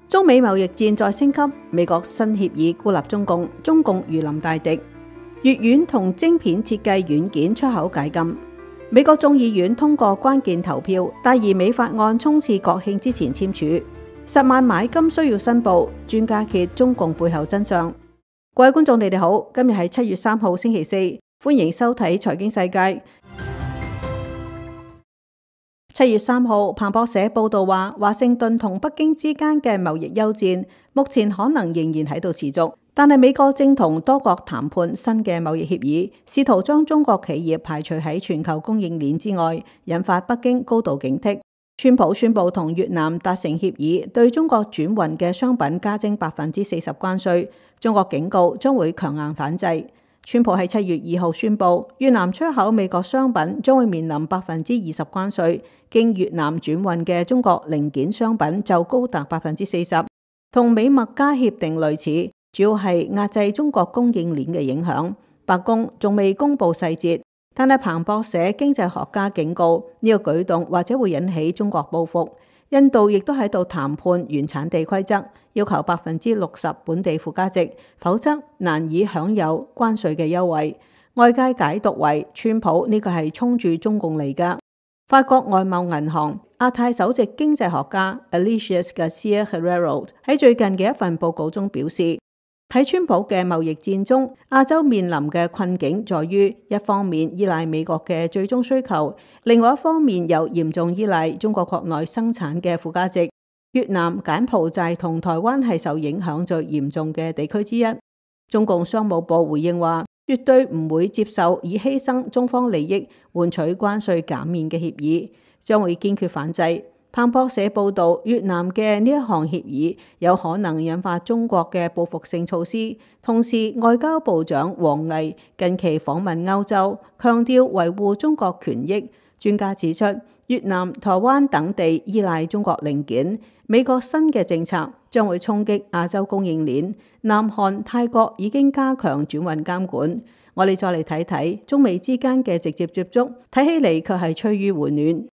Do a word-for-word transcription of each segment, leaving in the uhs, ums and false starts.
中美貿易戰再升級，美國新協議孤立中共，中共如臨大敵。乙烷同晶片設計軟件出口解禁。美國眾議院通過關鍵投票，大而美法案衝刺國慶之前簽署。十萬買金需要申報，專家揭中共背後真相。各位觀眾，你哋好，今日係七月三號星期四，歡迎收睇財經世界。七月三號，彭博社報道話，華盛頓同北京之間嘅貿易休戰，目前可能仍然喺度持續，但係美國正同多國談判新嘅貿易協議，試圖將中國企業排除喺全球供應鏈之外，引發北京高度警惕。川普宣布同越南達成協議，對中國轉運嘅商品加徵百分之四十關稅，中國警告將會強硬反制。川普喺七月二號宣布，越南出口美國商品將會面臨百分之二十關稅，經越南轉運嘅中國零件商品就高達百分之四十，同美墨加協定類似，主要係壓制中國供應鏈嘅影響。白宮仲未公布細節，但係彭博社經濟學家警告呢個舉動或者會引起中國報復。印度亦都喺度談判原產地規則，要求百分之六十本地附加值，否則難以享有關稅嘅優惠。外界解讀為川普呢個係衝住中共嚟㗎。法國外貿銀行亞太首席經濟學家 Alicias Garcia Herrero 喺最近嘅一份報告中表示，喺川普嘅貿易戰中，亞洲面臨嘅困境在於一方面依賴美國嘅最終需求，另外一方面又嚴重依賴中國國內生產嘅附加值。越南、柬埔寨同台灣係受影響最嚴重嘅地區之一。中共商務部回應話，絕對唔會接受以犧牲中方利益換取關稅減免嘅協議，將會堅決反制。彭博社報道，越南嘅呢一項協議有可能引發中國嘅報復性措施。同時，外交部長王毅近期訪問歐洲，強調維護中國權益。專家指出，越南、台灣等地依賴中國零件，美國新嘅政策將會衝擊亞洲供應鏈。南韓、泰國已經加強轉運監管。我哋再嚟睇睇中美之間嘅直接接觸，睇起嚟卻係趨於回暖。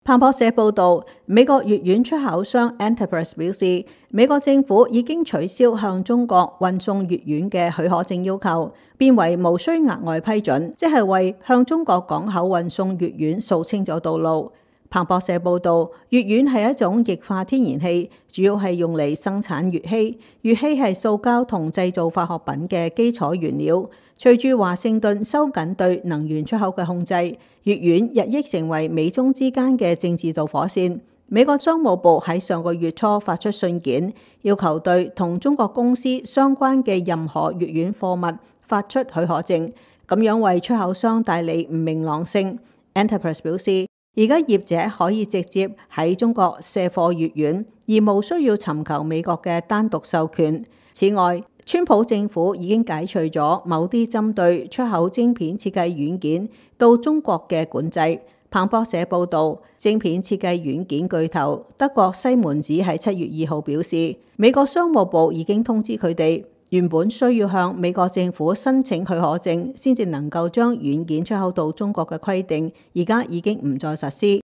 彭博社報導，美國乙烷出口商 Enterprise 表示，美國政府已經取消向中國運送乙烷嘅許可證要求，變為無需額外批准，即係為向中國港口運送乙烷掃清咗道路。彭博社報導，乙烷係一種液化天然氣，主要係用嚟生產乙烯。乙烯係塑膠同製造化學品嘅基礎原料。隨住華盛頓收緊對能源出口嘅控制，乙烷日益成為美中之間嘅政治導火線。美國商務部喺上個月初發出信件，要求對同中國公司相關嘅任何乙烷貨物發出許可證，咁樣為出口商帶嚟唔明朗性。Enterprise 表示，而家業者可以直接喺中國卸貨乙烷，而無需要尋求美國嘅單獨授權。此外，川普政府已經解除咗某啲針對出口晶片設計軟件到中國嘅管制。彭博社報導，晶片設計軟件巨頭德國西門子喺七月二號表示，美國商務部已經通知佢哋，原本需要向美國政府申請許可證先至能夠將軟件出口到中國嘅規定，而家已經唔再實施。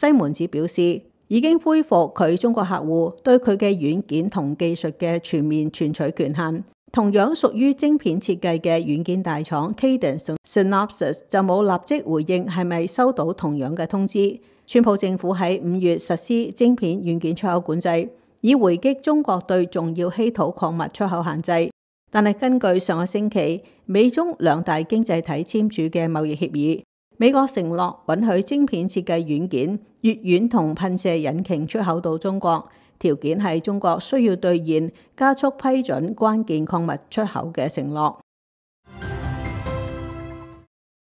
西門子表示，已經恢復佢中國客戶對佢嘅軟件同技術嘅全面存取權限。同樣屬於晶片設計嘅軟件大廠 Cadence 同 Synopsys 就冇立即回應係咪收到同樣嘅通知。川普政府喺五月實施晶片軟件出口管制，以回擊中國對重要稀土礦物出口限制。但係根據上個星期美中兩大經濟體簽署嘅貿易協議，美國承諾允許晶片設計軟件、乙烷同噴射引擎出口到中國，條件係中國需要兌現加速批准關鍵礦物出口嘅承諾。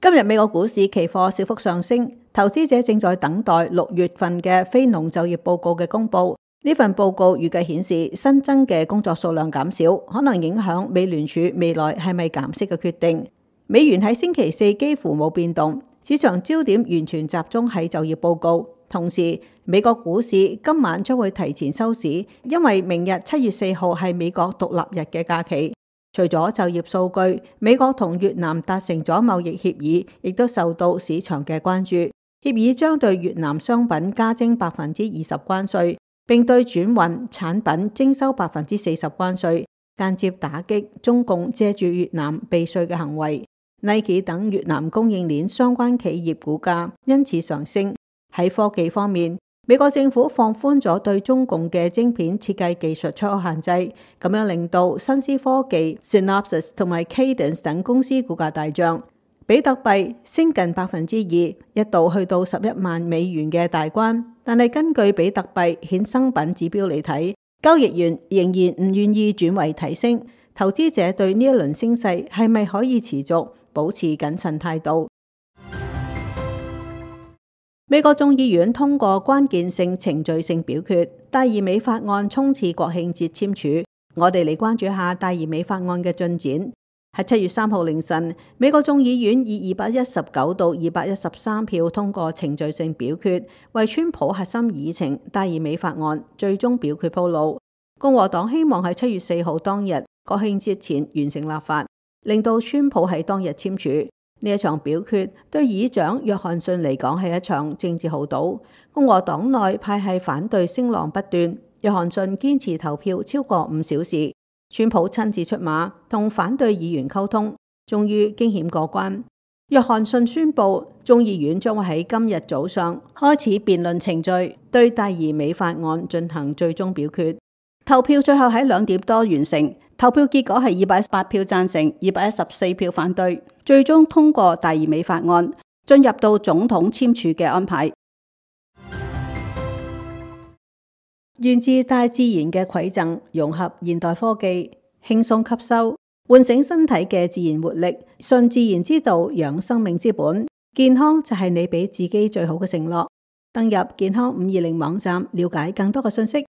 今日美國股市期貨小幅上升，投資者正在等待六月份嘅非農就業報告嘅公佈。呢份報告預計顯示新增嘅工作數量減少，可能影響美聯儲未來係咪減息嘅決定。美元喺星期四幾乎冇變動，市場焦點完全集中喺就業報告。同時，美國股市今晚將會提前收市，因為明日七月四號係美國獨立日嘅假期。除咗就業數據，美國同越南達成咗貿易協議，亦都受到市場嘅關注。協議將對越南商品加徵百分之二十關稅，並對轉運產品徵收百分之四十關稅，間接打擊中共借住越南避稅嘅行為。Nike 等越南供應鏈相關企業股價因此上升。喺科技方面，美國政府放寬咗對中共嘅晶片設計技術出口限制，咁樣令到新思科技、Synopsys 同埋 Cadence 等公司股價大漲。比特幣升近百分之二，一度去到十一萬美元嘅大關。但係根據比特幣衍生品指標嚟睇，交易員仍然唔願意轉為提升。投資者對呢一輪升勢係咪可以持續，保持謹慎態度。美國眾議院通過關鍵性程序性表決，大而美法案衝刺國慶節簽署。我哋嚟關注下大而美法案嘅進展。喺七月三號凌晨，美國眾議院以二百一十九到二百一十三票通過程序性表決，為川普核心議程大而美法案最終表決鋪路。共和黨希望喺七月四號當日國慶節前完成立法，令到川普喺當日簽署。呢一場表決對議長約翰遜嚟講係一場政治豪賭。共和黨內派系反對聲浪不斷，約翰遜堅持投票超過五小時，川普親自出馬同反對議員溝通，終於驚險過關。約翰遜宣布眾議院將會喺今日早上開始辯論程序，對大而美法案進行最終表決。投票最後喺兩點多完成，投票結果係二百一十八票贊成，二百一十四票反對，最終通過大而美法案，進入到總統簽署嘅安排。源自大自然嘅饋贈，融合現代科技，輕鬆吸收，喚醒身體嘅自然活力，順自然之道，養生命之本。健康就係你俾自己最好嘅承諾。登入健康五二零網站，了解更多嘅信息。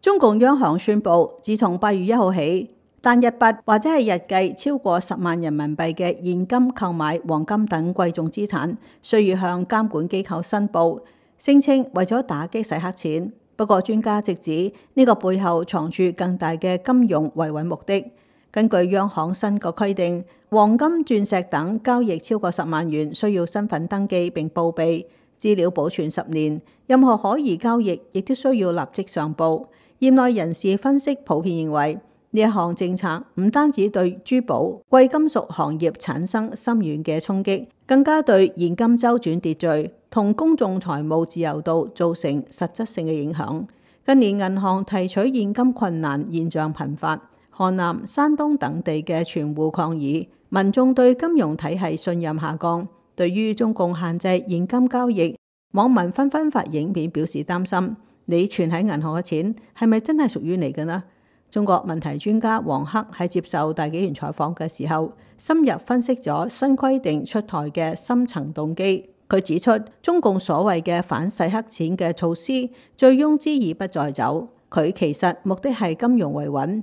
中共央行宣布，自從八月一號起，單一筆或者係日計超過十萬人民幣嘅現金購買黃金等貴重資產，需要向監管機構申報，聲稱為咗打擊洗黑錢。不過專家直指呢個背後藏住更大嘅金融維穩目的。根據央行新嘅規定，黃金、鑽石等交易超過十萬元需要身份登記並報備，資料保存十年，任何可疑交易亦都需要立即上報。業內人士分析普遍認為，呢一項政策唔單止對珠寶、貴金屬行業產生深遠嘅衝擊，更加對現金周轉秩序同公眾財務自由度造成實質性嘅影響。近年銀行提取現金困難現象頻發，河南、山東等地嘅存戶抗議，民眾對金融體系信任下降。對於中共限制現金交易，網民紛紛發影片表示擔心。你存喺銀行嘅錢係咪真係屬於你嘅呢？中國問題專家王克喺接受大紀元採訪嘅時候，深入分析咗新規定出台嘅深層動機。佢指出，中共所謂嘅反洗黑錢嘅措施，醉翁之意不在酒，佢其實目的係金融維穩。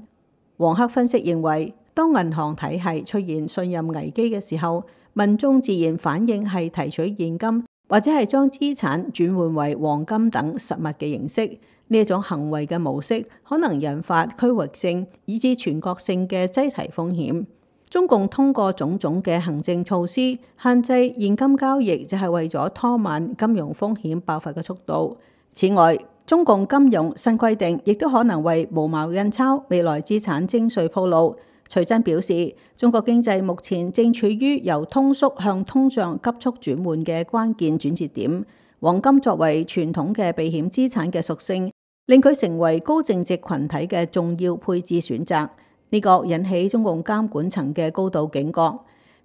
王克分析認為，當銀行體系出現信任危機嘅時候，民眾自然反應係提取現金，或者係將資產轉換為黃金等實物嘅形式。呢一種行為嘅模式可能引發區域性以至全國性嘅擠提風險。中共通過種種嘅行政措施限制現金交易，就係為咗拖慢金融風險爆發嘅速度。此外，中共金融新規定亦都可能為無毛印鈔未來資產徵稅鋪路。徐真表示，中國經濟目前正處於由通縮向通脹急速轉換嘅關鍵轉折點。黃金作為傳統嘅避險資產嘅屬性，令佢成為高淨值群體嘅重要配置選擇。呢個引起中共監管層嘅高度警覺。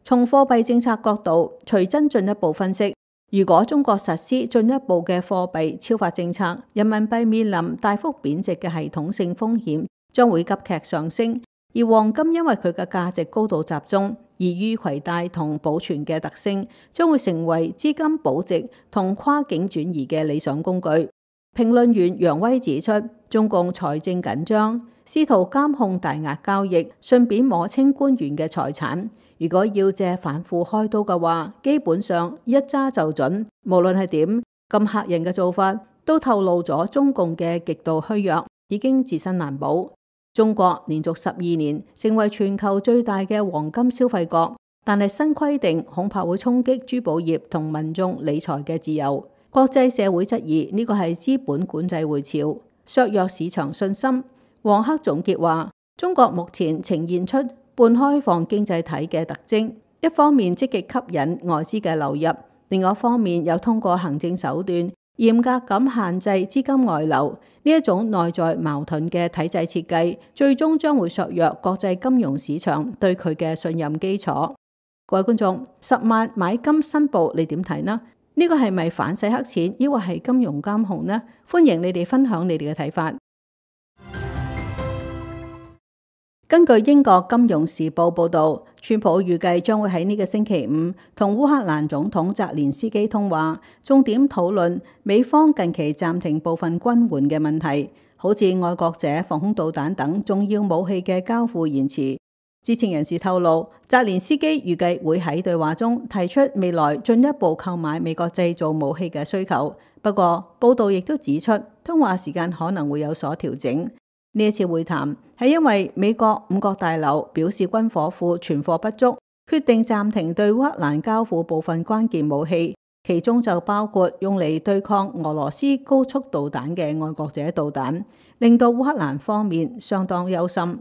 從貨幣政策角度，徐真進一步分析，如果中國實施進一步嘅貨幣超發政策，人民幣面臨大幅貶值嘅系統性風險將會急劇上升。而黃金因為佢嘅價值高度集中，易於攜帶同保存嘅特性，將會成為資金保值同跨境轉移嘅理想工具。評論員楊威指出，中共財政緊張，試圖監控大額交易，順便摸清官員嘅財產。如果要借反腐開刀嘅話，基本上一揸就準。無論係點，咁嚇人嘅做法，都透露咗中共嘅極度虛弱，已經自身難保。中國連續十二年成為全球最大嘅黃金消費國，但係新規定恐怕會衝擊珠寶業同民眾理財嘅自由。國際社會質疑呢個係資本管制回潮，削弱市場信心。黃克總結話：中國目前呈現出半開放經濟體嘅特徵，一方面積極吸引外資嘅流入，另外一方面又通過行政手段嚴格咁限制資金外流。呢一種內在矛盾嘅體制設計，最終將會削弱國際金融市場對佢嘅信任基礎。各位觀眾，十萬買金申報你點睇呢？呢個係咪反洗黑錢，抑或係金融監控呢？歡迎你哋分享你哋嘅睇法。根據英國金融時報報導，川普預計將會喺呢個星期五同烏克蘭總統澤連斯基通話，重點討論美方近期暫停部分軍援嘅問題，好似愛國者防空導彈等重要武器嘅交付延遲。知情人士透露，澤連斯基預計會喺對話中提出未來進一步購買美國製造武器嘅需求。不過，報導亦都指出，通話時間可能會有所調整。呢一次會談係因為美國五角大樓表示軍火庫存貨不足，決定暫停對烏克蘭交付部分關鍵武器，其中就包括用嚟對抗俄羅斯高速導彈嘅愛國者導彈，令到烏克蘭方面相當憂心。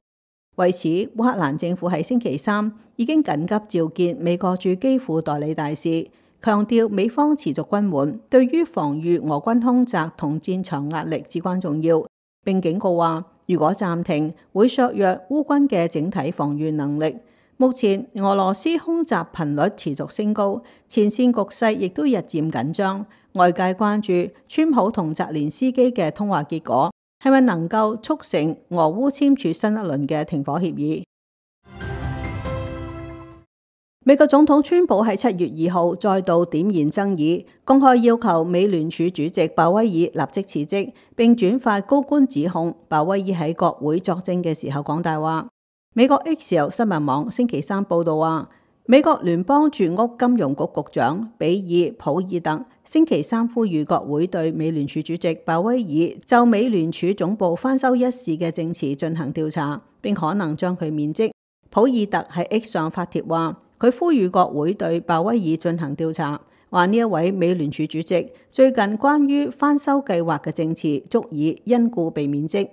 為此，烏克蘭政府喺星期三已經緊急召見美國駐基輔代理大使，強調美方持續軍援對於防禦俄軍空襲同戰場壓力至關重要，並警告話，如果暫停，會削弱烏軍嘅整體防禦能力。目前俄羅斯空襲頻率持續升高，前線局勢亦都日漸緊張。外界關注川普同澤連斯基嘅通話結果係咪能夠促成俄烏簽署新一輪嘅停火協議。美國總統川普喺七月二號再度點燃爭議，公開要求美聯儲主席鮑威爾立即辭職，並轉發高官指控鮑威爾喺國會作證嘅時候講大話。美國 X 新聞網星期三報道話，美國聯邦住屋金融局局長比爾普爾特星期三呼籲國會對美聯儲主席鮑威爾就美聯儲總部翻修一事嘅證詞進行調查，並可能將佢免職。普爾特喺 X 上發帖話，佢呼籲國會對鮑威爾進行調查，話呢一位美聯儲主席最近關於翻修計劃嘅證詞足以因故被免職。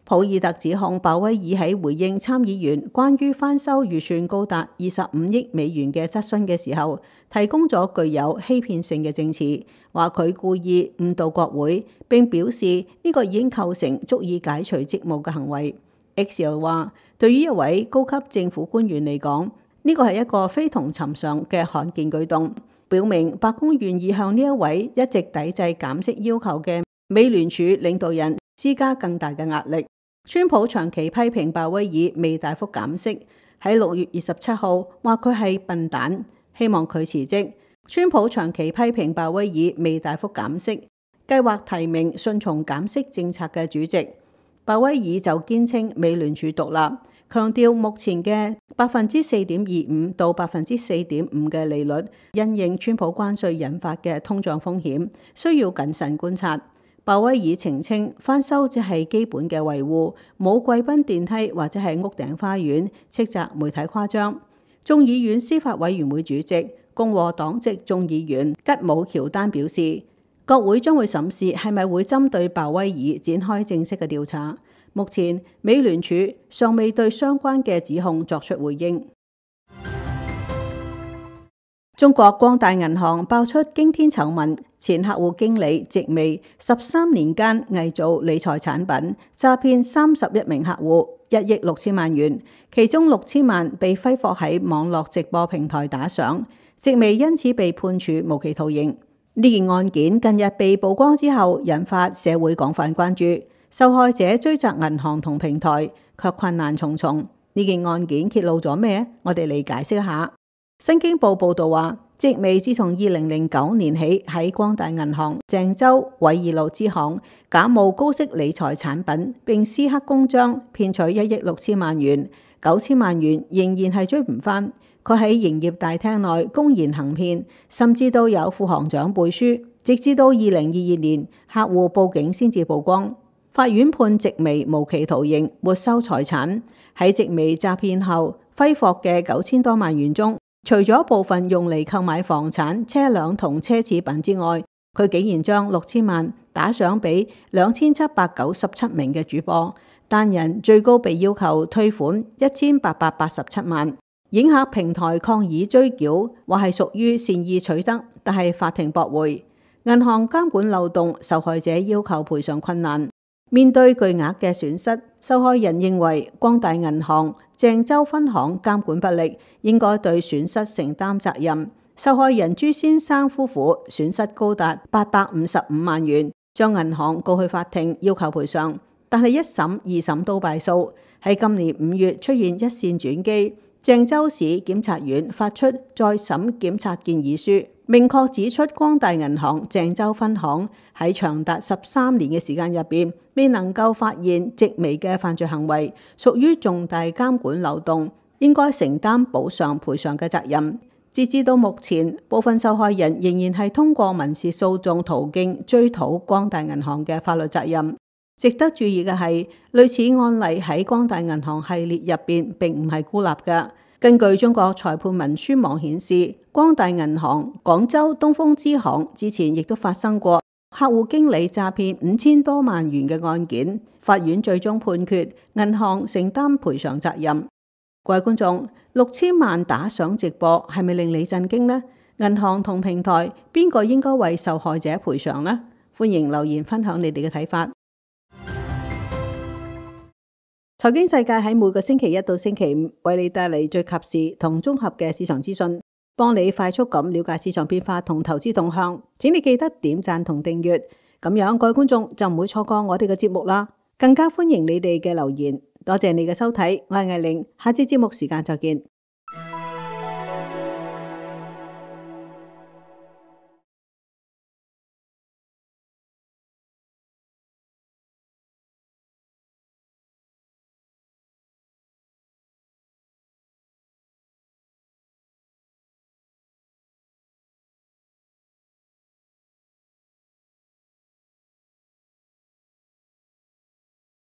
普爾特指控鮑威爾喺回應參議員關於翻修預算高達二十五億美元嘅質詢嘅時候，提供咗具有欺騙性嘅證詞，話佢故意誤導國會，並表示呢個已經構成足以解除職務嘅行為。X 又話，對於一位高級政府官員嚟講，呢個係一個非同尋常嘅罕見舉動，表明白宮願意向呢一位一直抵制減息要求嘅美聯儲領導人施加更大嘅壓力。川普長期批評鮑威爾未大幅減息，喺六月二十七號話佢係笨蛋，希望佢辭職。川普長期批評鮑威爾未大幅減息，計劃提名順從減息政策嘅主席。鮑威爾就堅稱美聯儲獨立，強調目前嘅百分之四點二五到百分之四點五嘅利率，因應川普關稅引發嘅通脹風險，需要謹慎觀察。鮑威爾澄清，翻修只係基本嘅維護，冇貴賓電梯或者係屋頂花園，斥責媒體誇張。眾議院司法委員會主席共和黨籍眾議員吉姆喬丹表示，國會將會審視係咪會針對鮑威爾展開正式嘅調查。目前美聯儲尚未對相關嘅指控作出回應。中國光大銀行爆出驚天醜聞，前客戶經理植微十三年間偽造理財產品，詐騙三十一名客戶一億六千萬元，其中六千萬被揮霍喺網絡直播平台打賞，植微因此被判處無期徒刑。呢件案件近日被曝光之後，引發社會廣泛關注。受害者追責銀行同平台，卻困難重重。呢件案件揭露咗咩？我哋嚟解釋一下。新京報報道話，植微自從二零零九年起喺光大銀行鄭州偉義路支行假冒高息理財產品，並私刻公章騙取一億六千萬元，九千萬元仍然係追唔返。佢喺營業大廳內公然行騙，甚至都有副行長背書，直至到二零二二年客戶報警先至曝光。法院判植微無期徒刑，沒收財產。喺植微詐騙後揮霍嘅九千多萬元中，除咗部分用嚟購買房產、車輛同奢侈品之外，佢竟然將六千萬打賞俾兩千七百九十七名嘅主播，單人最高被要求退款一千八百八十七萬。影客平台抗議追繳，話係屬於善意取得，但係法庭駁回。銀行監管漏洞，受害者要求賠償困難。面對巨額嘅損失，受害人認為光大銀行鄭州分行監管不力，應該對損失承擔責任。受害人朱先生夫婦損失高達八百五十五萬元，將銀行告去法庭要求賠償，但係一審、二審都敗訴。喺今年五月出現一線轉機，鄭州市檢察院發出再審檢察建議書，明確指出光大銀行鄭州分行喺長達十三年嘅時間入邊，未能夠發現極微嘅犯罪行為，屬於重大監管漏洞，應該承擔補償賠償嘅責任。截至到目前，部分受害人仍然係通過民事訴訟途徑追討光大銀行嘅法律責任。值得注意嘅係，類似案例喺光大銀行系列入邊並唔係孤立嘅。根據中國裁判文書網顯示，光大銀行廣州東風支行之前亦都發生過客戶經理詐騙五千多萬元嘅案件，法院最終判決銀行承擔賠償責任。各位觀眾，六千萬打賞直播係咪令你震驚呢？銀行同平台邊個應該為受害者賠償呢？歡迎留言分享你哋嘅睇法。財經世界喺每個星期一到星期五為你帶嚟最及時同綜合嘅市場資訊，幫你快速咁了解市場變化同投資動向。請你記得點讚同訂閱，咁樣各位觀眾就唔會錯過我哋嘅節目啦。更加歡迎你哋嘅留言。多謝你嘅收睇，我係艾玲，下次節目時間再見。